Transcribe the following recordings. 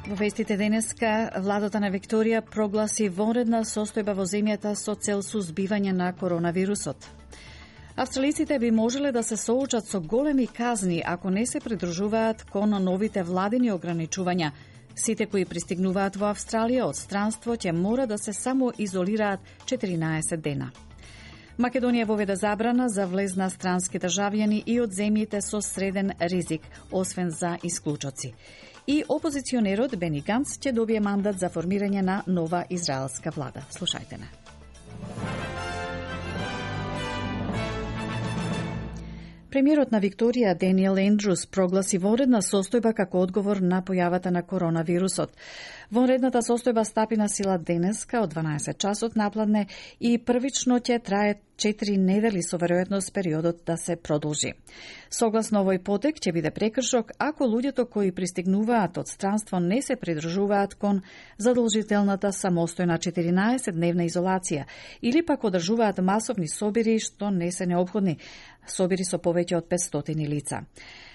Во вестите денеска, владата на Викторија прогласи вонредна состојба во земјата со цел сузбивање на коронавирусот. Австралиците би можеле да се соочат со големи казни ако не се придружуваат кон новите владини ограничувања. Сите кои пристигнуваат во Австралија од странство ќе мора да се само изолираат 14 дена. Македонија воведе забрана за влез на странски државјани и од земјите со среден ризик, освен за исклучоци. И опозиционерот Бени Ганц ќе добие мандат за формирање на нова израелска влада. Слушајте не. Премиерот на Викторија Даниел Ендрус прогласи вонредна состојба како одговор на појавата на коронавирусот. Вонредната состојба стапи на сила денеска од 12 часот напладне и првично ќе трае 4 недели со веројатност периодот да се продолжи. Согласно овој потек ќе биде прекршок ако луѓето кои пристигнуваат од странство не се придржуваат кон задолжителната самостојна 14-дневна изолација или пак одржуваат масовни собири што не се неопходни, собири со повеќе од 500 лица.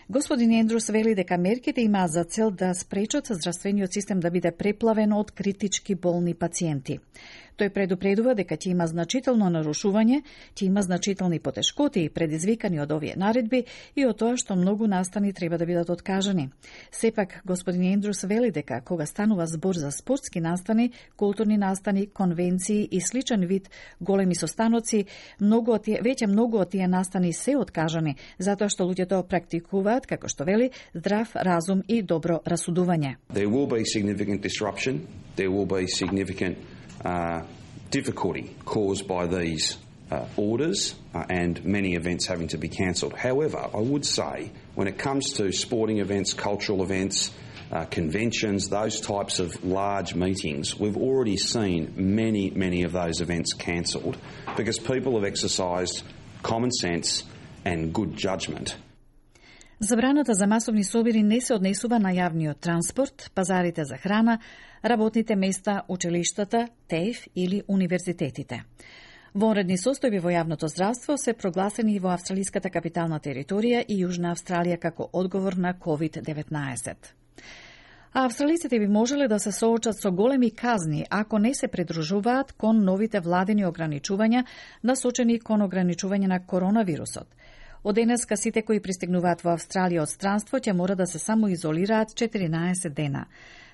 Господин Ендрус вели дека мерките имаат за цел да спречат здравствениот систем да биде преплавен од критички болни пациенти. Тој предупредува дека ќе има значително нарушување, ќе има значителни потешкоти предизвикани од овие наредби и од тоа што многу настани треба да бидат откажани. Сепак, господин Ендрус вели дека кога станува збор за спортски настани, културни настани, конвенции и сличен вид големи состаноци, веќе многу од тие настани се откажани, затоа што луѓето практикуваат, како што вели, здрав разум и добро расудување. There will be significant disruption, there will be significant difficulty caused by these orders and many events having to be cancelled. However, I would say when it comes to sporting events, cultural events, conventions, those types of large meetings, we've already seen many of those events cancelled because people have exercised common sense and good judgment. Забраната за масовни собири не се однесува на јавниот транспорт, пазарите за храна, работните места, училиштата, ТЕИФ или универзитетите. Вонредни состојби во јавното здравство се прогласени и во австралиската капитална територија и Јужна Австралија како одговор на COVID-19. А австралиците би можеле да се соочат со големи казни ако не се придружуваат кон новите владини ограничувања насочени кон ограничување на коронавирусот. Од денеска сите кои пристигнуваат во Австралија од странство ќе мора да се само изолираат 14 дена.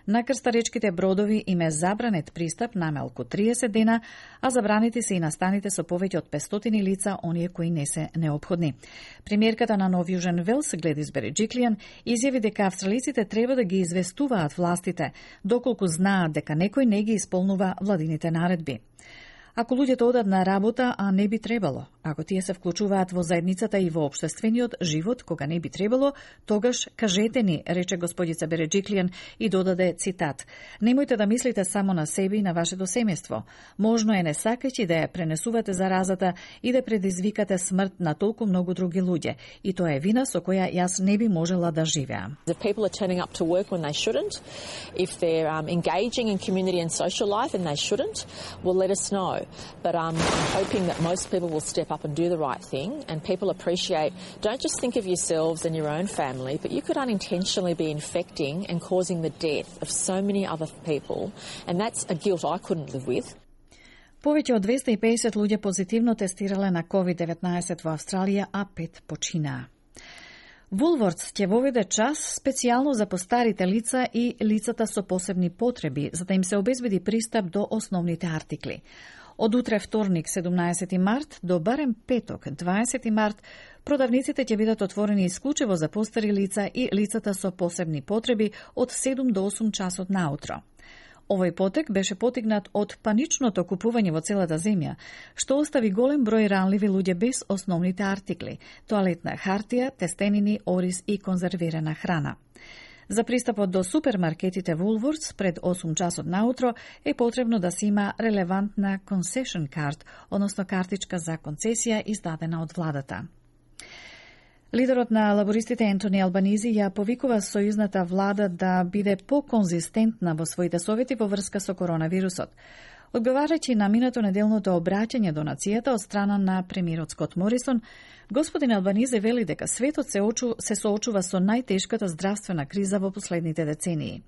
На крстаречките бродови им е забранет пристап намалку 30 дена, а забранети се и настаните со повеќе од 500 лица, оние кои не се неопходни. Премиерката на Нов Јужен Велс, Гледис Береджиклијан, изјави дека австралиците треба да ги известуваат властите, доколку знаат дека некој не ги исполнува владините наредби. Ако луѓето одат на работа, а не би требало, ако тие се вклучуваат во заедницата и во општествениот живот, кога не би требало, тогаш кажете ни, рече господица Береджиклијан и додаде цитат: Немојте да мислите само на себе и на вашето семејство. Можно е не сакајќи да ја пренесувате заразата и да предизвикате смрт на толку многу други луѓе. И тоа е вина со која јас не би можела да живеам. If people are turning up to work when they shouldn't, if they're engaging in community and social life and they shouldn't, well, let us know. But I'm hoping that most people will step up and do the right thing, and people appreciate, don't just think of yourselves and your own family, but you could unintentionally be infecting and causing the death of so many other people, and that's a guilt I couldn't live with. Повеќе од 250 луѓе позитивно тестирале на COVID-19 во Австралија, а 5 починаа. Woolworths ќе воведе час специјално за постарите лица и лицата со посебни потреби, за да им се обезбеди пристап до основните артикли. Од утре вторник 17 март до барем петок 20 март продавниците ќе бидат отворени исклучиво за постари лица и лицата со посебни потреби од 7 до 8 часот наутро. Овој потек беше потигнат од паничното купување во целата земја, што остави голем број ранливи луѓе без основните артикли – тоалетна хартија, тестенини, ориз и конзервирана храна. За пристапот до супермаркетите Woolworths пред 8 часот наутро е потребно да се има релевантна concession card, односно картичка за концесија издадена од владата. Лидерот на лабористите Ентони Албанизи ја повикува сојузната влада да биде поконзистентна во своите совети во врска со коронавирусот. Одговарајќи на минато неделното обраќање до нацијата од страна на премиерот Скот Морисон, господин Албанизи вели дека светот се соочува со најтешката здравствена криза во последните децении.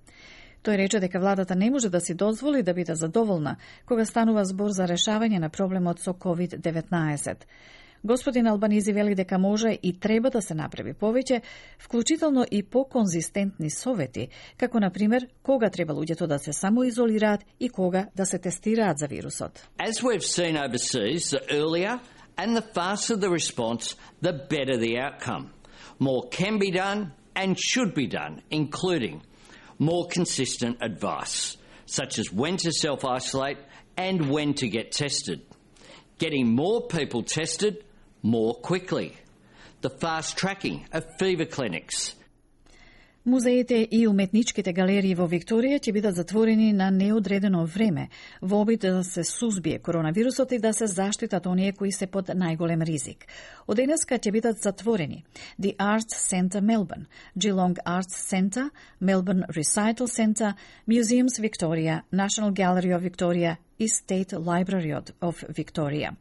Тој рече дека владата не може да си дозволи да биде задоволна кога станува збор за решавање на проблемот со COVID-19. Господин Албанизи вели дека може и треба да се направи повеќе, вклучително и по-конзистентни совети, како на пример кога треба луѓето да се самоизолираат и кога да се тестираат за вирусот. As we've seen overseas, the earlier and the faster the response, the better the outcome. More can be done and should be done, including more consistent advice, such as when to self-isolate and when to get tested. Getting more people tested more quickly. The fast tracking of fever clinics. Музеите и уметничките галерии во Викторија ќе бидат затворени на неодредено време во обид да се сузбие коронавирусот и да се заштитат оние кои се под најголем ризик. Од денеска ќе бидат затворени The Arts Centre Melbourne, Geelong Arts Centre, Melbourne Recital Centre, Museums Victoria, National Gallery of Victoria и State Library of Victoria.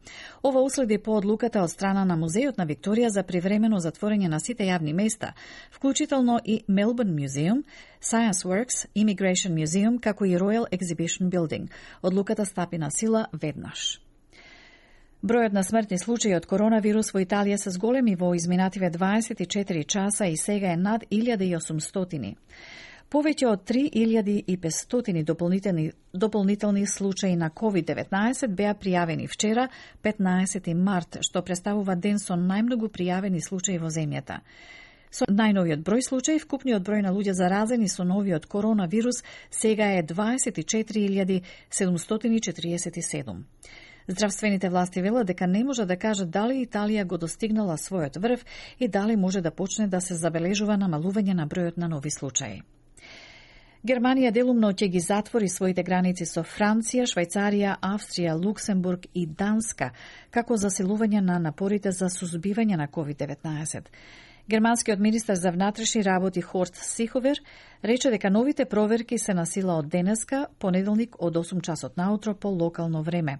Ова уследи по одлуката од страна на Музејот на Викторија за привремено затворање на сите јавни места, вклучително и Melbourne Museum, Science Works, Immigration Museum, како и Royal Exhibition Building. Одлуката стапи на сила веднаш. Бројот на смртни случаи од коронавирус во Италија се зголеми во изминативе 24 часа и сега е над 1800. Повеќе од 3500 дополнителни случаи на COVID-19 беа пријавени вчера, 15 март, што представува ден со најмногу пријавени случаи во земјата. Со најновиот број случаи, вкупниот број на луѓе заразени со новиот коронавирус сега е 24.747. Здравствените власти велат дека не може да кажат дали Италија го достигнала својот врв и дали може да почне да се забележува намалување на бројот на нови случаи. Германија делумно ќе ги затвори своите граници со Франција, Швајцарија, Австрија, Луксембург и Данска, како засилување на напорите за сузбивање на COVID-19. Германскиот министар за внатрешни работи Хорст Сиховер рече дека новите проверки се на сила од денеска, понеделник од 8 часот наутро по локално време.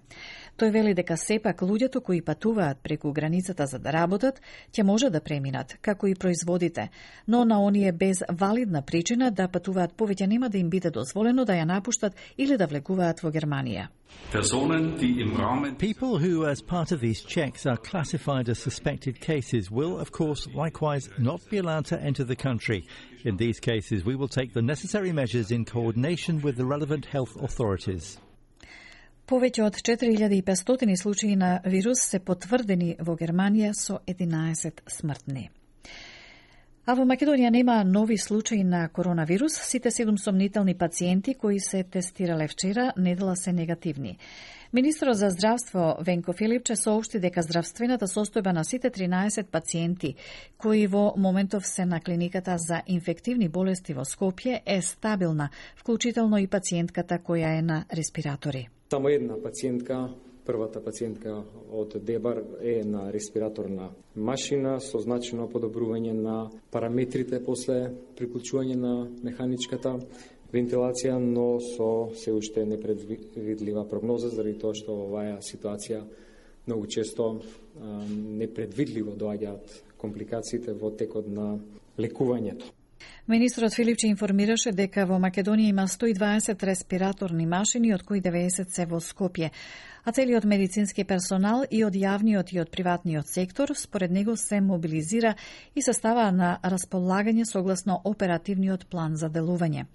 Тој вели дека сепак луѓето кои патуваат преку границата за да работат, ќе може да преминат, како и производите, но на оние без валидна причина да патуваат повеќе нема да им биде дозволено да ја напуштат или да влегуваат во Германија. People who, as part of these checks, are classified as suspected cases will, of course, likewise not be allowed to enter the country. In these cases, we will take the necessary measures in coordination with the relevant health authorities. Повеќе од 4500 случаи на вирус се потврдени во Германија со 11 смртни. А во Македонија нема нови случаи на коронавирус. Сите 7 сомнителни пациенти кои се тестирале вчера недела се негативни. Министерот за здравство Венко Филипче соопшти дека здравствената состојба на сите 13 пациенти кои во моментов се на клиниката за инфективни болести во Скопје е стабилна, вклучително и пациентката која е на респиратори. Само една пациентка, првата пациентка од Дебар е на респираторна машина со значено подобрување на параметрите после приклучување на механичката вентилација, но со се уште непредвидлива прогноза, заради тоа што оваа ситуација многу често непредвидливо доаѓаат компликациите во текот на лекувањето. Министрот Филипче информираше дека во Македонија има 120 респираторни машини, од кои 90 се во Скопје, а целиот медицински персонал и од јавниот и од приватниот сектор според него се мобилизира и се става на располагање согласно оперативниот план за делување.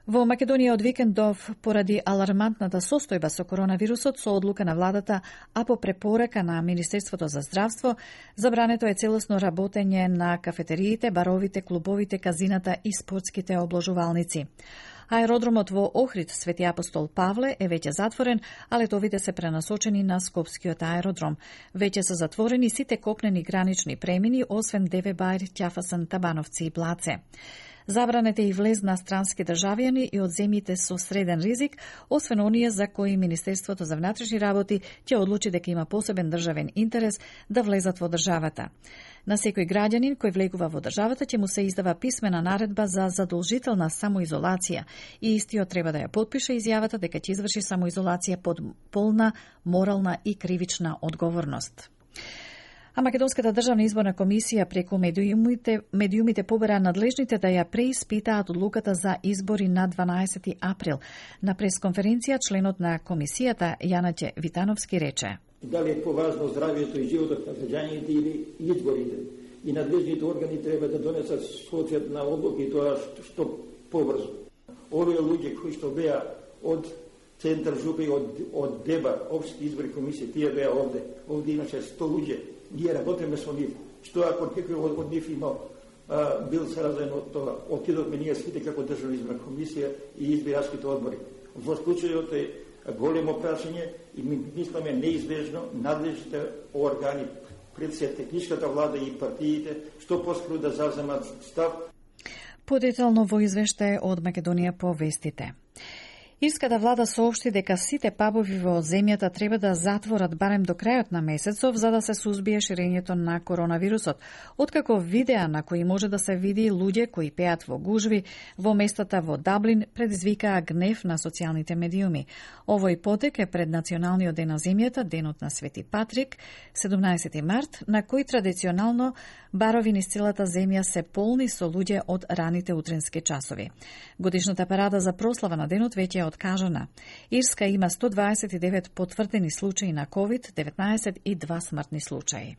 Во Македонија од викендов, поради алармантната состојба со коронавирусот, со одлука на владата, а по препорака на Министерството за здравство, забрането е целосно работење на кафетериите, баровите, клубовите, казината и спортските обложувалници. Аеродромот во Охрид Свети Апостол Павле е веќе затворен, а летовите се пренасочени на Скопскиот аеродром. Веќе се затворени сите копнени гранични премини, освен Деве Бајр, Ќафасан, Табановци и Блаце. Забранете и влез на странски државјани и од земјите со среден ризик, освен оние за кои Министерството за внатрешни работи ќе одлучи дека има посебен државен интерес да влезат во државата. На секој граѓанин кој влегува во државата ќе му се издава писмена наредба за задолжителна самоизолација и истиот треба да ја потпише изјавата дека ќе изврши самоизолација под полна морална и кривична одговорност. А Македонската државна изборна комисија преку медиумите побара надлежните да ја преиспитаат одлуката за избори на 12 април. На пресконференција членот на комисијата Јанаќе Витановски рече: Дали е поважно здравието и животот на граѓаните или изборите? И надлежните органи треба да донесат соодветна одлука и тоа што побрзо. Овие луѓе кои што беа од Центар жупи од ДЕБА, општи избори комисија, тие беа овде. Овде имаше 100 луѓе. Ние работиме со нив. Што ако некој од нив има бил заразен од тоа? Отидовме ние сите како државна изборна комисија и избирачките одбори. Во случајот е големо прашање и ми мислиме неизбежно надлежните органи, пред се техничката влада и партиите, што поскоро да заземат став. Подетално во извештај од Македонија по вестите. Ирската влада соопшти дека сите пабови во земјата треба да затворат барем до крајот на месецов за да се сузбие ширењето на коронавирусот, откако видеа на кои може да се види луѓе кои пеат во гужви во местата во Даблин предизвикаа гнев на социјалните медиуми. Овој потек е пред Националниот ден на земјата, денот на Свети Патрик, 17 март, на кој традиционално барови низ целата земја се полни со луѓе од раните утренски часови. Годишната парада за прослава на денот веќе е откажана. Ирска има 129 потврдени случаи на COVID-19 и 2 смртни случаи.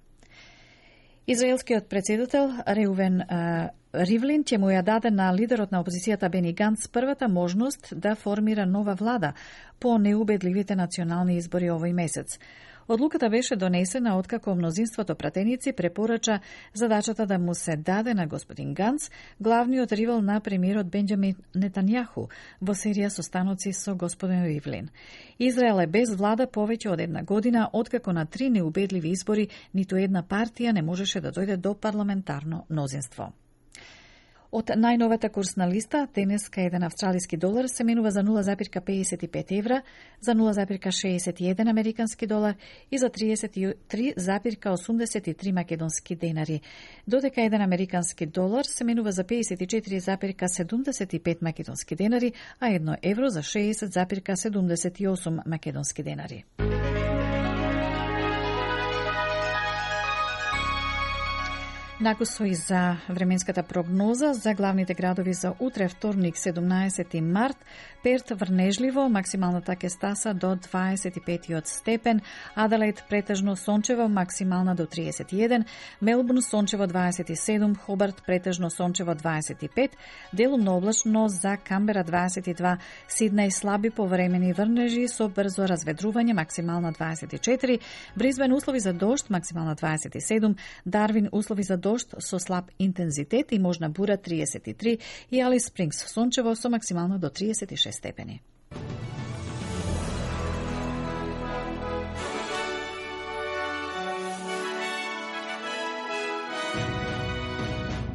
Израелскиот председател Реувен Ривлин ќе му ја даде на лидерот на опозицијата Бени Ганц првата можност да формира нова влада по неубедливите национални избори овој месец. Одлуката беше донесена откако мнозинството пратеници препорача задачата да му се даде на господин Ганц, главниот ривал на премиерот Бенџамин Нетањаху, во серија состаноци со господин Ривлин. Израел е без влада повеќе од една година, откако на 3 неубедливи избори ниту една партија не можеше да дојде до парламентарно мнозинство. Од најновата курсна листа, денеска еден австралиски долар се менува за 0,55 евра, за 0,61 американски долар и за 33,83 македонски денари, додека еден американски долар се менува за 54,75 македонски денари, а 1 евро за 60,78 македонски денари. Накусои за временската прогноза за главните градови за утре, вторник, 17 март. Перт врнежливо, максималната ќе стаса до 25 степен. Аделаид претежно сончево, максимална до 31. Мелбурн сончево 27. Хобарт претежно сончево 25. Делумно облачно за Камбера 22. Сиднеј слаби повремени врнежи со брзо разведрување, максимална 24. Бризбен услови за дожд, максимална 27. Дарвин услови за дожд со слаб интензитет и можна бура 33 и Алис Спрингс сончево со максимално до 36 степени.